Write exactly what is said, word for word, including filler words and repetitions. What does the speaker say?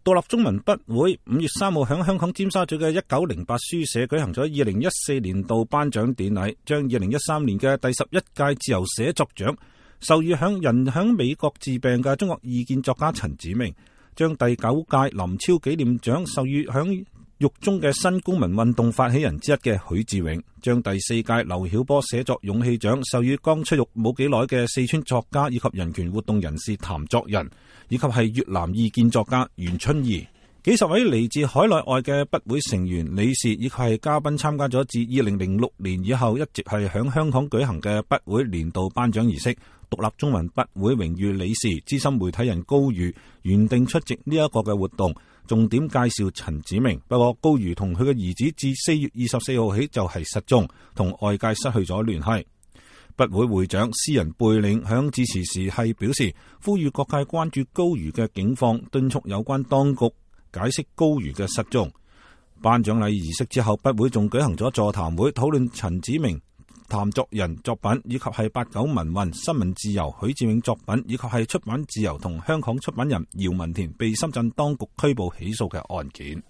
獨立中文筆會五月三號喺香港尖沙咀嘅一九零八書社舉行咗二零一四年度頒獎典禮，將二零一三年嘅第十一屆自由寫作獎授予響人響美國治病嘅中國異見作家陳子明，將第九屆林超紀念獎授予響獄中嘅新公民運動發起人之一嘅許志永，將第四屆劉曉波寫作勇氣獎授予剛出獄冇幾耐嘅四川作家以及人權活動人士譚作人，以及係越南異見作家袁春怡。幾十位嚟自海內外嘅筆會成員、理事以及係嘉賓參加咗自二零零六年以後一直係響香港舉行嘅筆會年度頒獎儀式。獨立中文筆會榮譽理事、資深媒體人高瑜原定出席呢一個嘅活動，重點介紹陳子明。不過高瑜同佢嘅兒子自四月二十四號起就係失蹤，同外界失去咗聯繫。筆會會長詩人貝嶺響致辭時係表示，呼籲各界關注高瑜嘅境況，敦促有關當局解釋高瑜嘅失蹤。頒獎禮儀式之後，筆會仲舉行咗座談會，討論陳子明、譚作人作品，以及係八九民運、新聞自由、許志永作品，以及係出版自由同香港出版人姚文田被深圳當局拘捕起訴嘅案件。